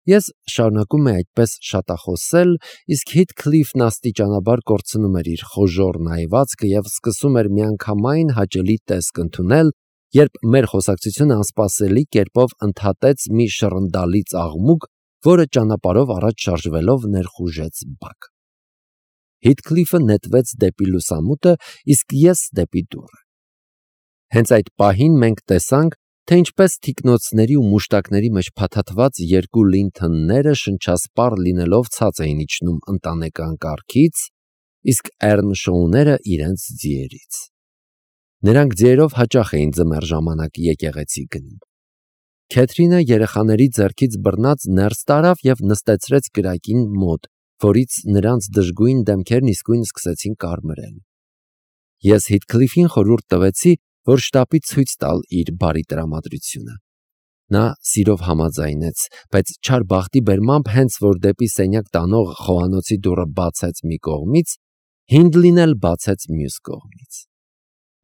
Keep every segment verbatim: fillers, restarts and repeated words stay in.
Ես շարունակում էի այդպես շատախոսել, իսկ Հիթքլիֆն աստիճանաբար կորցնում էր իր խոժոռ նայվածքը և սկսում էր միանգամայն հաճելի տեսք ընդունել, երբ մեր խոսակցությունը անսպասելի կերպով ընդհատեց մի շռնդալից աղմուկ, որը ճանապարհով առաջ շարժվելով ներխուժեց բակ։ Հիթքլիֆը նետվեց դեպի լուսամուտը, իսկ ես դեպի դուռը։ Հենց այդ պահին մենք տեսանք, թե ինչպես թիկնոցների ու մուշտակների մեջ փաթաթված երկու Լինթոնները շնչասպառ լինելով ցած էին իջնում ընտանեկան կառքից, իսկ Էռնշոուները իրենց ձիերից։ Նրանք ձիերով հաճախ էին ձմեռ ժամանակ եկեղեցի գնում։ Քեթրինը երեխաների ձեռքից բռնած ներս տարավ և նստեցրեց կրակին մոտ, որից նրանց դժգույն դեմքերն իսկույն սկսեցին կարմրել։ Ես Հիթքլիֆին խորհուրդ տվեցի, որ շտապի ցույց տալ իր բարի տրամադրությունը։ Նա սիրով համաձայնեց, բայց չար բախտի բերմամբ, հենց որ դեպի սենյակ տանող խոհանոցի դուռը բացեց մի կողմից, Հինդլին էլ բացեց մյուս կողմից։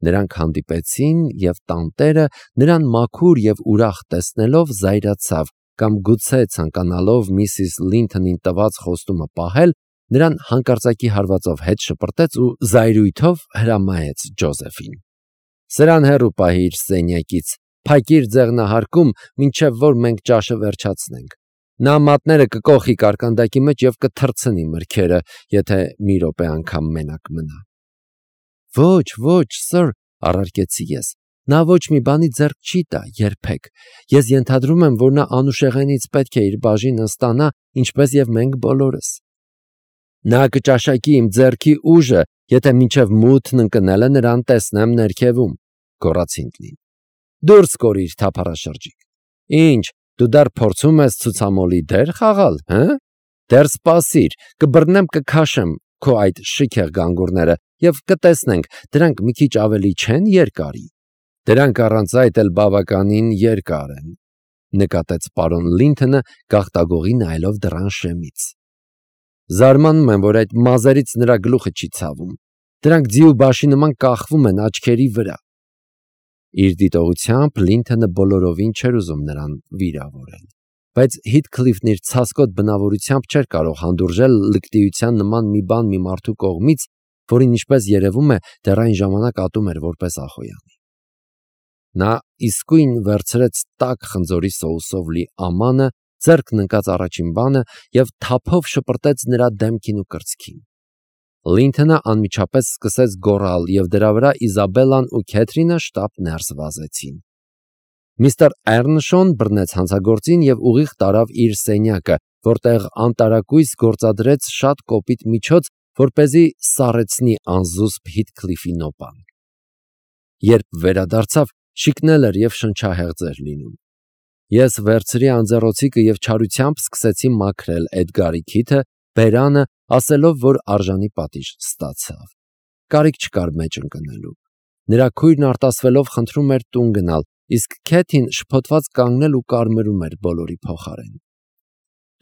Նրանք հանդիպեցին, և տանտերը նրան մաքուր և ուրախ տեսնելով զայրացավ, կամ գուցե ցանկանալով միսիս Լինթոնին տված խոստումը պահել, նրան հանկարծակի հարվածով հետ շպրտեց ու զայրույթով հրամայեց Ջոզեֆին. «Սրան հեռու պահիր սենյակից, փակիր ձեղնահարկում, մինչև որ մենք ճաշը վերջացնենք։ Նա մատները կկոխի կարկանդակի մեջ և կթռցնի մրգերը, եթե մի րոպե անգամ մենակ մնա»։ «Ոչ, ոչ, սըր», առարկեցի ես, նա ոչ մի բանի ձեռք չի տա երբեք։ Ես ենթադրում եմ, որ նա անուշեղենից պետք է իր բաժինը ստանա, ինչպես և մենք բոլորս։ Նա կճաշակի իմ ձեռքի ուժը, եթե մինչև մութն ընկնելը նրան տեսնեմ ներքևում, գոռաց Հինդլին։ Դուրս կորիր, թափառաշրջիկ։ Ինչ, դու դեռ փորձում ես ցուցամոլի դեր խաղալ, հը՞։ Դեռ սպասիր, կբռնեմ, կքաշեմ քո այդ շքեղ գանգուրները և կտեսնենք, դրանք մի քիչ ավելի չեն երկարի։ Դրանք առանց այդ էլ բավականին երկար են, նկատեց պարոն Լինթոնը, գաղտագողի նայելով դռան շեմից։ Զարմանում եմ, որ այդ մազերից նրա գլուխը չի ցավում։ Դրանք ձի ու բաշի նման կախվում են աչքերի վրա։ Իր դիտողությամբ Լինթոնը բոլորովին չէր ուզում նրան վիրավորել, բայց Հիթքլիֆն իր ցասկոտ բնավորությամբ չէր կարող հանդուրժել լկտիության նման մի բան մի մարդու կողմից, որին, ինչպես երևում է, դեռ այն ժամանակ ատում էր որպես Ախոյանի։ Նա իսկույն վերցրեց տաք խնձորի սոուսով լի ամանը, ձեռքն ընկած առաջին բանը և թափով շպրտեց նրա դեմքին ու կրծքին։ Լինթոնը անմիջապես սկսեց գոռալ, և դրա վրա Իզաբելլան ու Քեթրինը շտապ ներս վազեցին։ Միստր Էռնշոուն բռնեց հանցագործին և ուղիղ տարավ իր սենյակը, որտեղ անտարակույս գործադրեց շատ կոպիտ միջոց, որպեսզի սառեցնի անզուսպ Հիթքլիֆի նոպան։ Երբ վերադարձավ, շիկնել էր և շնչահեղձ էր լինում։ Ես վերցրի անձեռոցիկը և չարությամբ սկսեցի մաքրել Էդգարի քիթը, բերանը, ասելով, որ արժանի պատիժ ստացավ։ Կարիք չկար մեջ ընկնելու։ Նրա քույրն արտասվելով խնդրում էր տուն գնալ, իսկ Քեթին շփոթված կանգնել ու կարմրում էր բոլորի փոխարեն։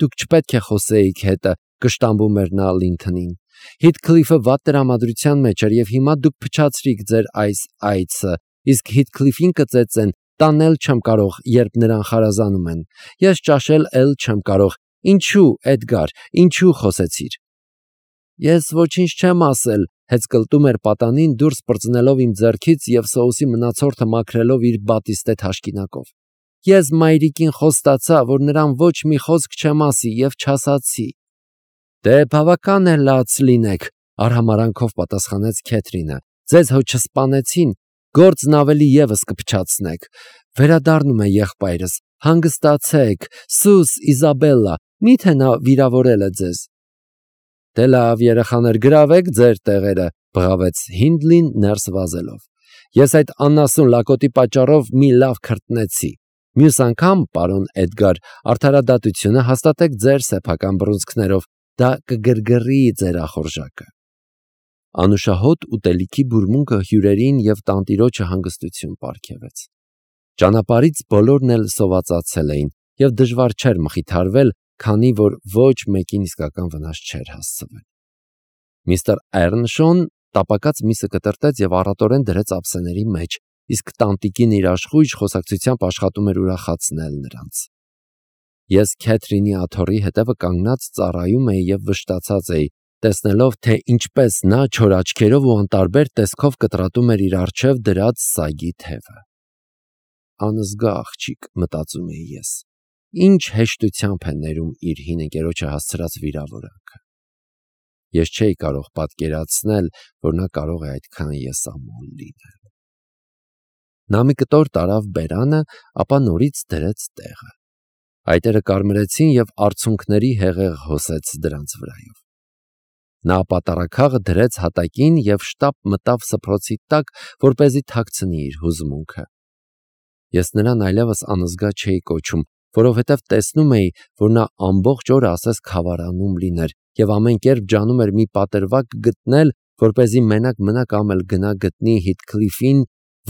Դուք չպետք է խոսեիք հետը, կշտամբում էր նա Լինթոնին։ Հիթքլիֆը վատ տրամադրության մեջ էր, և հիմա դուք փչացրիք ձեր այս այցը, իսկ Հիթքլիֆին կծեծեն, տանել չեմ կարող, երբ նրան խարազանում են։ Ես ճաշել էլ չեմ կարող։ Ինչու, Էդգար, ինչու խոսեցիր։ Ես ոչինչ չեմ ասել, հեծկլտում էր պատանին, դուրս պրծնելով իմ ձեռքից և սոուսի մնացորդը մաքրելով իր բատիստե թաշկինակով։ Ես մայրիկին խոստացա, որ նրան ոչ մի խոսք չեմ ասի և չասացի։ Դե բավական է լաց լինեք, արհամարանքով պատասխանեց Քեթրինը։ Ձեզ հո չսպանեցին, գործն ավելի ևս կփչացնեք։ Վերադառնում է եղբայրս, հանգստացեք, սուս Իզաբելլա, միթե նա վիրավորել է ձեզ։ Դե լավ, երեխաներ, գրավեք ձեր տեղերը, բղավեց Հինդլին ներս վազելով։ Ես այդ անասուն լակոտի պատճառով մի լավ քրտնեցի։ Մյուս անգամ, պարոն Էդգար, արդարադատությունը հաստատեք ձեր սեփական բռունցքներով, դա կգրգռի ձեր ախորժակը։ Անուշահոտ ուտելիքի բուրմունքը հյուրերին և տանտիրոջը հանգստություն պարգևեց։ Ճանապարհից բոլորն էլ սովածացել էին, և դժվար չէր մխիթարվել, քանի որ ոչ մեկին իսկական վնաս չէր հասցվել։ Միստր Էռնշոուն տապակած միսը կտրտեց և առատորեն դրեց ափսեների մեջ, իսկ տանտիկին իր աշխույժ խոսակցությամբ աշխատում էր ուրախացնել նրանց։ Ես Քեթրինի աթոռի հետևը կանգնած ծառայում էի եւ վշտացած էի, տեսնելով, թե ինչպես նա չոր աչքերով ու անտարբեր տեսքով կտրատում էր իր առջև դրած սագի թևը։ Անզգա աղջիկ, մտածում էի ես, ինչ հեշտությամբ է ներում իր հին ընկերոջը հասցրած վիրավորանքը։ Ես չէի կարող պատկերացնել, որ նա կարող է այդքան եսամոլ լինել։ Նա մի կտոր տարավ բերանը, ապա նորից դրեց տեղը։ Այտերը կարմրեցին եւ արցունքների հեղեղ հոսեց դրանց վրայով։ Նա պատարակաղը դրեց հատակին եւ շտապ մտավ սփռոցի տակ, որպեսզի թաքցնի իր հուզմունքը։ Ես նրան այլևս անզգա չէի կոչում, որովհետև տեսնում էի, որ նա ամբողջ օրը ասես քավարանում լիներ եւ ամեն կերպ ջանում էր մի պատրվակ գտնել, որպեսզի մենակ մնա կամ էլ գնա գտնի Հիթքլիֆին,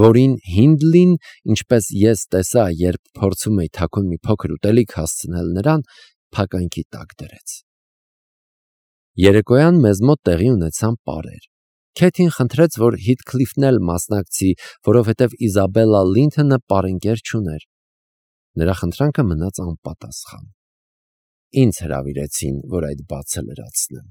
որին Հինդլին, ինչպես ես տեսա, երբ փորձում էի թաքուն մի փոքր ուտելիք հասցնել նրան, փականքի տակ դրեց։ Երեկոյան մեզ մոտ տեղի ունեցան պարեր։ Քեթին խնդրեց, որ Հիթքլիֆն էլ մասնակցի, որովհետև Իզաբելլա Լինթոնը պարընկեր չուներ։ Նրա խնդրանքը մնաց անպատասխան։ Ինձ հրավիրեցին, որ այդ բացը լրացնեմ։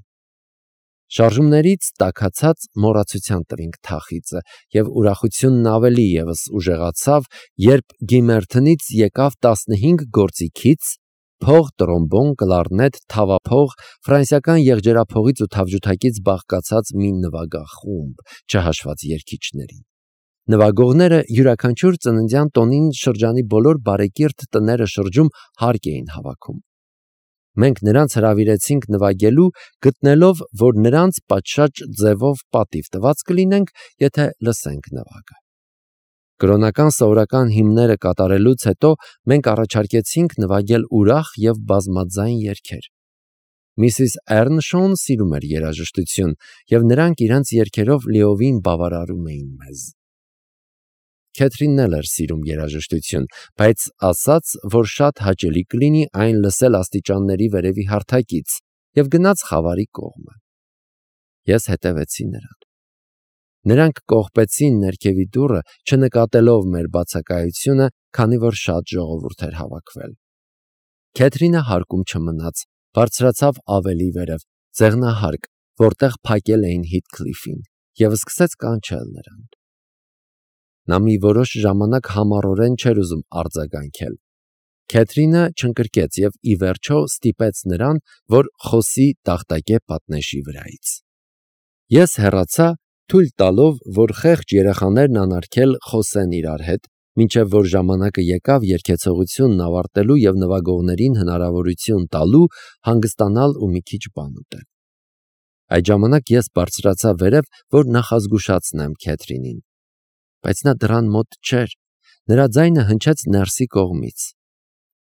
Շարժումներից տաքացած մոռացության տվինք թախիծը, եւ ուրախությունն ավելի եւս ուժեղացավ, երբ Գիմերթոնից եկավ տասնհինգ գործիքից փող, տրոմբոն, կլարնետ, թավափող, ֆրանսիական եղջերափողից ու թավջութակից բաղկացած մի նվագախումբ, չհաշված երգիչներին։ Նվագողները յուրաքանչյուր ծննդյան տոնին շրջանի բոլոր բարեկիրթ տները շրջում հարկ էին հավաքում։ Մենք նրանց հրավիրեցինք նվագելու, գտնելով, որ նրանց պատշաճ ձևով պատիվ տված կլինենք, եթե լսենք նվագը։ Կրոնական սովորական հիմները կատարելուց հետո մենք առաջարկեցինք նվագել ուրախ եւ բազմաձայն երգեր։ Միսիս Էրնշոուն սիրում էր երաժշտություն, եւ նրանք իրենց երգերով լիովին բավարարում էին մեզ։ Քեթրինն էլ էր սիրում երաժշտություն, բայց ասաց, որ շատ հաճելի կլինի այն լսել աստիճանների վերևի հարթակից, եւ գնաց խավարի կողմը։ Ես հետևեցի նրան։ Նրանք կողպեցին ներքևի դուռը, չնկատելով մեր բացակայությունը, քանի որ շատ ժողովուրդ էր հավաքվել։ Քեթրինը հարկում չմնաց, բարձրացավ ավելի վերև, ձեղնահարկ, որտեղ փակել էին Հիթքլիֆին, եւ սկսեց կանչել նրան։ Նա մի որոշ ժամանակ համառորեն չէր ուզում արձագանքել։ Քեթրինը չընկրկեց եւ ի վերջո ստիպեց նրան, որ խոսի տախտակե պատնեշի վրայից։ Ես հեռացա, թույլ տալով, որ խեղճ երեխաներն անարգել խոսեն իրար հետ, մինչև որ ժամանակը եկավ երգեցողությունն ավարտելու եւ նվագողներին հնարավորություն տալու հանգստանալ ու մի քիչ բան ուտել։ Այդ ժամանակ ես բարձրացա վերև, որ նախազգուշացնեմ Քեթրինին, բայց նա դռան մոտ չէր, նրա ձայնը հնչեց ներսի կողմից։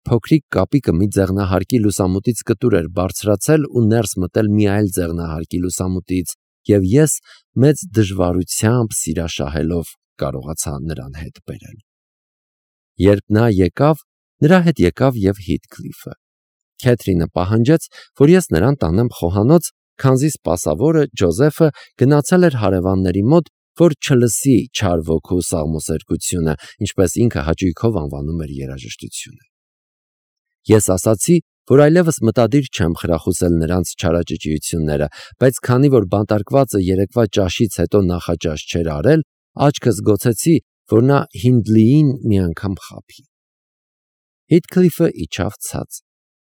Փոքրիկ կապիկը մի ձեղնահարկի լուսամուտից կտուր էր բարձրացել ու ներս մտել մի այլ ձեղնահարկի լուսամուտից, եւ ես մեծ դժվարությամբ սիրաշահելով կարողացա նրան հետ բերել։ Երբ նա եկավ, նրա հետ եկավ եւ Հիթքլիֆը։ Քեթրինը պահանջեց, որ ես նրան տանեմ խոհանոց, քանզի սպասավորը Ջոզեֆը գնացել էր հարևանների մոտ, որ չլսի չար ոգու սաղմոսերկությունը, ինչպես ինքը հաճույքով անվանում էր երաժշտությունը։ Ես ասացի, որ այլևս մտադիր չեմ խրախուսել նրանց չարաճճիությունները, բայց քանի որ բանտարկվածը երեկվա ճաշից հետո նախաճաշ չէր արել, աչքս գոցեցի, որ նա Հինդլիին մի անգամ խաբի։ Հիթքլիֆը իջավ ցած։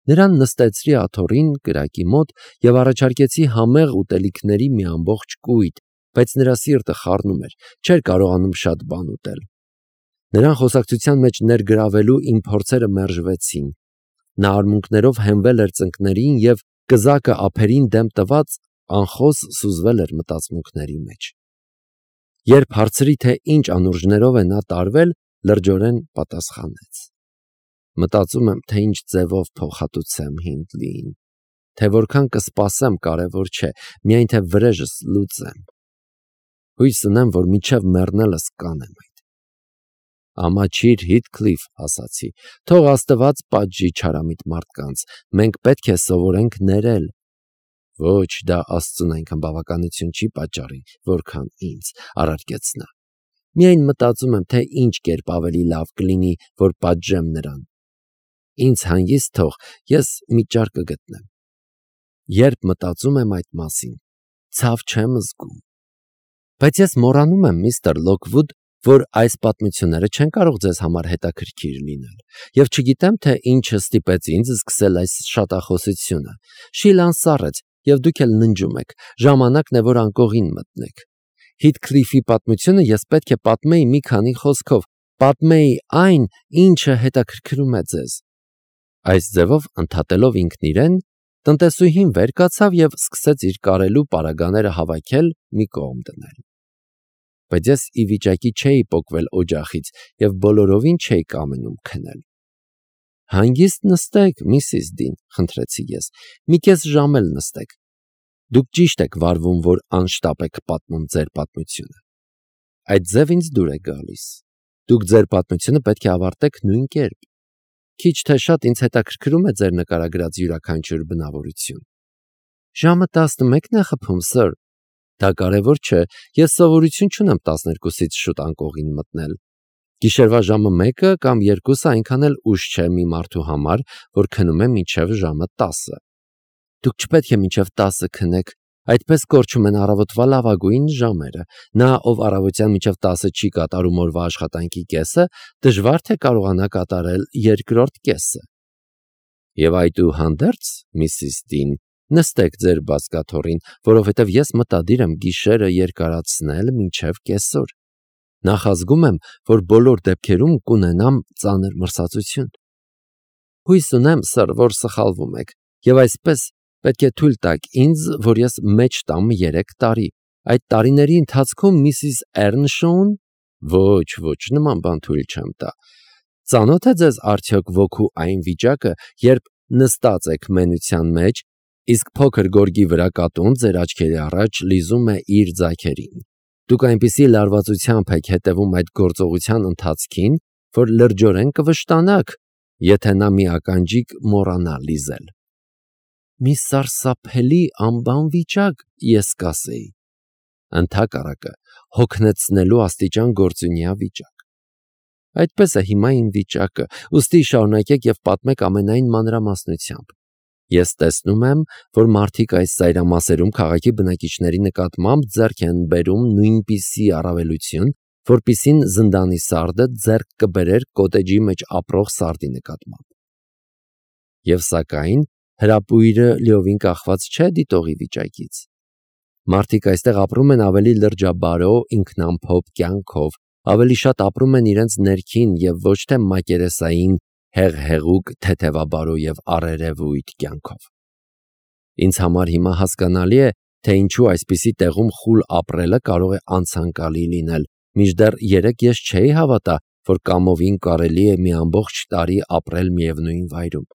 Նրան նստեցրի աթոռին կրակի մոտ եւ առաջարկեցի համեղ ուտելիքների մի ամբողջ կույտ, բայց նրա սիրտը խառնում էր, չէր կարողանում շատ բան ուտել։ Նրան խոսակցության մեջ ներգրավելու իմ փորձերը մերժվեցին։ Նա արմունկներով հենվել էր ծնկներին եւ կզակը ափերին դեմ տված անխոս սուզվել էր մտածմունքների մեջ։ Երբ հարցրի, թե ինչ անուրջներով է նա տարվել, լրջորեն պատասխանեց. Մտածում եմ, թե ինչ ձևով փոխհատուցեմ Հինդլիին, թե որքան կսպասեմ կարևոր չէ, միայն թե վրեժս լուծեմ։ Հույս ունեմ, որ մինչև մեռնելս կանեմ այդ։ Ամաչիր Հիթքլիֆ, ասացի, թող Աստված պատժի չարամիտ մարդկանց, մենք պետք է սովորենք ներել։ Ոչ, դա Աստծուն այնքան բավականություն չի պատճառի, որքան ինձ, առարկեց նա։ Միայն մտածում եմ, թե ինչ կերպ ավելի լավ կլինի, որ պատժեմ նրան։ ինձ հանգիստ թող, ես մի ճար կգտնեմ։ Երբ մտածում եմ այդ մասին, ցավ չեմ զգում։ Բայց ես մոռանում եմ, միստր Լոքվուդ, որ այս պատմությունները չեն կարող ձեզ համար հետաքրքիր լինել, եւ չգիտեմ, թե ինչը ստիպեց ինձ սկսել այս շատախոսությունը։ Շիլան սառեց, եւ դուք էլ ննջում եք, ժամանակն է, որ անկողին մտնեք։ Հիթքլիֆի պատմությունը ես պետք է պատմեի մի քանի խոսքով, պատմեի այն, ինչը հետաքրքրում է ձեզ։ Այս ձևով ընդհատելով ինքն իրեն, տնտեսուհին վեր կացավ եւ սկսեց իր կարելու պարագաները հավաքել, մի կողմ դնել։ Բայց ես ի վիճակի չէի պոկվել օջախից եւ բոլորովին չէի կամենում քնել։ Հանգիստ նստեք, միսիս Դին, խնդրեցի ես, մի կես ժամ էլ նստեք։ Դուք ճիշտ եք վարվում, որ անշտապ եք պատմում ձեր պատմությունը։ Այդ ձև ինձ դուր է գալիս։ Դուք ձեր պատմությունը պետք է ավարտեք նույն կերպ։ Քիչ թե շատ ինձ հետաքրքրում է ձեր նկարագրած յուրաքանչյուր բնավորություն։ Ժամը տասնմեկն է խփում, սըր։ Դա կարևոր չէ, ես սովորություն չունեմ տասներկուսից շուտ անկողին մտնել։ Գիշերվա ժամը մեկը կամ երկուսը այնքան էլ ուշ չէ մի մարդու համար, որ քնում է մինչև ժամը տասը։ Դուք չպետք է մինչև տասը քնեք, այդպես կորչում են առավոտվա լավագույն ժամերը։ Նա, ով առավոտյան մինչև տասը չի կատարում օրվա աշխատանքի կեսը, դժվար թե կարողանա կատարել երկրորդ կեսը։ Եվ այդուհանդերձ, միսիս Դին, նստեք ձեր բազկաթոռին, որովհետև ես մտադիր եմ գիշերը երկարացնել մինչև կեսօր։ Նախազգում եմ, որ բոլոր դեպքերում կունենամ ծանր մրսածություն։ Հույս ունեմ, սըր, որ սխալվում եք, եւ այսպես պետք է թույլ տաք ինձ, որ ես մեջ տամ երեք տարի։ Այդ տարիների ընթացքում միսիս Էրնշոուն ոչ, ոչ, նման բան թույլ չեմ տա։ Ծանոթ է ձեզ արդյոք ոգու այն վիճակը, երբ նստած եք մենության մեջ, իսկ փոքր գորգի վրա կատուն ձեր աչքերի առաջ լիզում է իր ձագերին։ Դուք այնպիսի լարվածությամբ եք հետևում այդ գործողության ընթացքին, որ լրջորեն կվշտանաք, եթե նա մի ականջիկ մոռանա լիզել։ Մի սարսափելի անբան վիճակ, ես կասեի։ Ընդհակառակը, հոգնեցնելու աստիճան գործունյա վիճակ։ Այդպես է հիմա իմ վիճակը, ուստի շարունակեք եւ պատմեք ամենայն մանրամասնությամբ։ Ես տեսնում եմ, որ մարդիկ այս ծայրամասերում քաղաքի բնակիչների նկատմամբ ձեռք են բերում նույնպիսի առավելություն, որպիսին զնդանի սարդը ձեռք կբերեր կոտեջի մեջ ապրող սարդի նկատմամբ։ Եվ սակայն հրապույրը լիովին կախված չէ դիտողի վիճակից։ Մարդիկ այստեղ ապրում են ավելի լրջաբարո, ինքնամփոփ կյանքով, ավելի շատ ապրում են իրենց ներքին եւ ոչ թե մակերեսային հեղ-հեղուկ, թեթևաբարո եւ առերևույթ կյանքով։ Ինձ համար հիմա հասկանալի է, թե ինչու այսպիսի տեղում խուլ ապրելը կարող է անցանկալի լինել, մինչդեռ երեք ես չէի հավատա, որ կամովին կարելի է մի ամբողջ տարի ապրել միևնույն վայրում։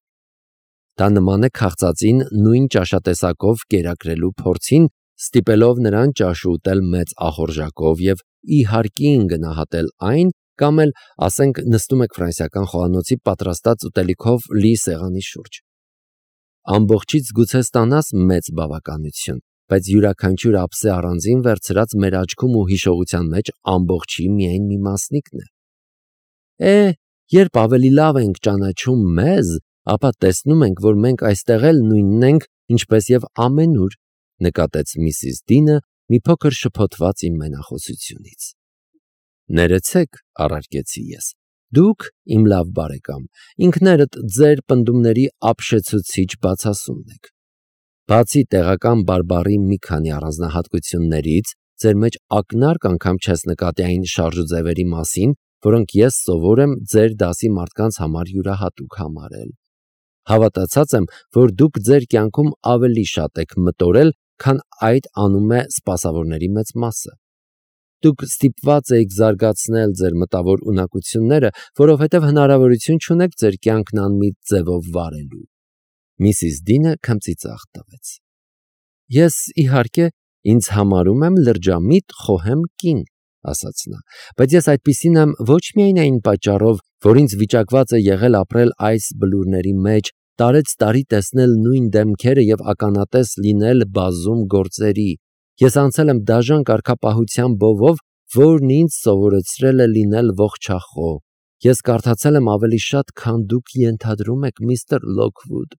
Դա նման է քաղցածին նույն ճաշատեսակով կերակրելու փորձին, ստիպելով նրան ճաշ ուտել մեծ ախորժակով եւ իհարկին գնահատել այն, կամ էլ, ասենք, նստում եք ֆրանսիական խոհանոցի պատրաստած ուտելիքով լի սեղանի շուրջ։ Ամբողջից գուցե ստանաս մեծ բավականություն, բայց յուրաքանչյուր ափսե առանձին վերցրած մեր աչքում ու հիշողության մեջ ամբողջի միայն մի մասնիկն է։ Է, երբ ավելի լավ ենք ճանաչում մեզ, ապա տեսնում ենք, որ մենք այստեղ էլ նույնն ենք, ինչպես եւ ամենուր, նկատեց միսիս Դինը մի փոքր շփոթված իմ մենախոսությունից։ Ներեցեք, առարկեցի ես, դուք, իմ լավ բարեկամ, ինքներդ ձեր պնդումների ապշեցուցիչ բացասումն եք։ Բացի տեղական բարբառի մի քանի առանձնահատկություններից, ձեր մեջ ակնարկ անգամ չես նկատի այն շարժուձևերի մասին, որոնք ես սովոր եմ ձեր դասի մարդկանց համար յուրահատուկ համարել։ Հավատացած եմ, որ դուք ձեր կյանքում ավելի շատ եք մտորել, քան այդ անում է սպասավորների մեծ մասը։ Դուք ստիպված եք զարգացնել ձեր մտավոր ունակությունները, որովհետև հնարավորություն չունեք ձեր կյանքն անմիտ ձևով վարելու։ Միսիս Դինը քմծիծաղ տվեց։ Ես, իհարկե, ինձ համարում եմ լրջամիտ խոհեմ կին, ասաց նա, բայց ես այդպիսին եմ ոչ միայն այն պատճառով, որ ինձ վիճակված է եղել ապրել այս բլուրների մեջ, տարեց տարի տեսնել նույն դեմքերը եւ ականատես լինել բազում գործերի։ Ես անցել եմ դաժան կարգապահության բովով, որն ինձ սովորեցրել է լինել ողջախոհ, Ես կարդացել եմ ավելի շատ, քան դուք ենթադրում եք, միստր Լոքվուդ։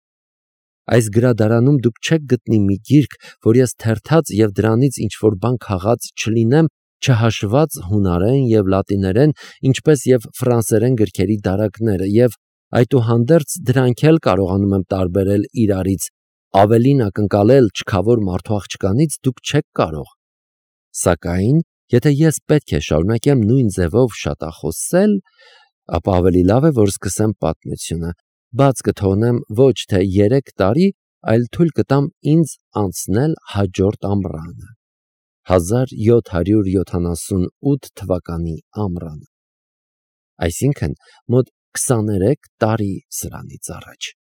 Այս գրադարանում դուք չեք գտնի մի գիրք, որ ես թերթած և դրանից ինչ-որ բան քաղած չլինեմ, չհաշված հունարեն և լատիներեն, ինչպես և ֆրանսերեն գրքերի դարակները, և այդուհանդերձ դրանք էլ կարողանում եմ տարբերել իրարից, ավելին ակնկալել չքավոր մարդու աղջկանից դուք չեք կարող։ Սակայն, եթե ես պետք է շարունակեմ նույն ձևով շատախոսել, ապա ավելի լավ է, որ սկսեմ պատմությունը, բաց կթողնեմ ոչ թե երեք տարի, այլ թույլ կտամ ինձ անցնել հաջորդ ամռանը, հազար յոթ հարյուր յոթանասունութ թվականի ամռանը, այսինքն մոտ քսաներեք տարի սրանից առաջ։